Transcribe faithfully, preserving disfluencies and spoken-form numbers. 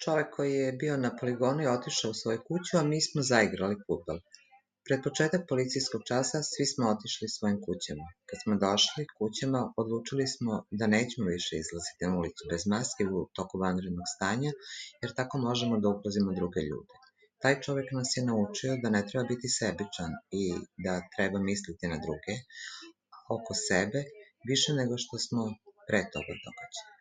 Čovek koji je bio na poligonu je otišao u svoju kuću, a mi smo zaigrali fudbal. Pred početak policijskog časa svi smo otišli svojim kućama. Kad smo došli kućama, odlučili smo da nećemo više izlaziti na ulicu bez maske u toku vanrednog stanja, jer tako možemo da ugrozimo druge ljude. Taj čovek nas je naučio da ne treba biti sebičan i da treba misliti na druge oko sebe više nego što smo pre toga događaja.